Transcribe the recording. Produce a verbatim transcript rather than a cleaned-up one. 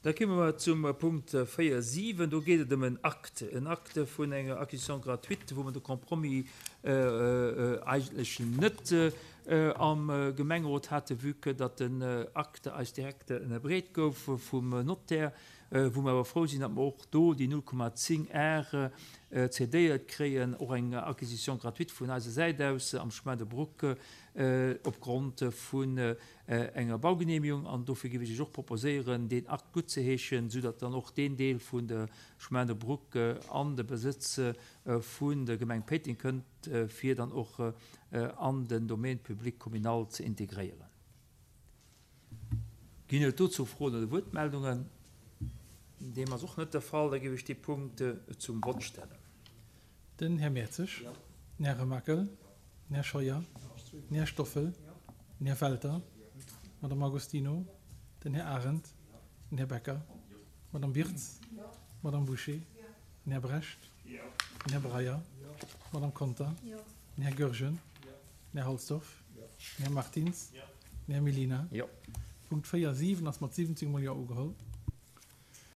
Da komme mer zum Punkt véier siwen. Do geet et ëm en Acte, en Acte vun enger Acquisition gratuite, wou mer de Compromis eigentlech net am Gemengerot haten, vue que datt den Acte eis direkt ënnerbreet gouf vum Notaire, wou mer awer frou sinn, datt mer och do déi null Komma zéng Ar cédéiert kréien, och eng Acquisition gratuite vun eiser Säit aus am Chemin de Brouck opgrond vun enger Baugenehmigung. An dofir géif ech Iech och proposéieren, deen Akt guttzeheeschen, soudatt dann och deen Deel vun der Chemin de Brouck an de Besëtz vun der Gemeng Péiteng kënnt, fir dann och an den Domaine public communal ze integréieren. Ginn et dozou Froen oder Wuertmeldungen? Deem ass och net de Fall. Da géif ech dee Punkt zum Vott stellen. Den Här Mertzig, den Här Remakel, den Här Scheuer, den Här Stoffel, den Här Welter, d'Madame Agostino, den Här Arendt, den Här Becker, d'Madame Birtz, d'Madame Bouché, den Här Brecht, den Här Breyer, d'Madame Conter, den Här Goergen, den Här Halsdorf, den Här Martins, den Här Mellina. Punkt véier siwen ass mat siwwenzéng mol Jo ugeholl.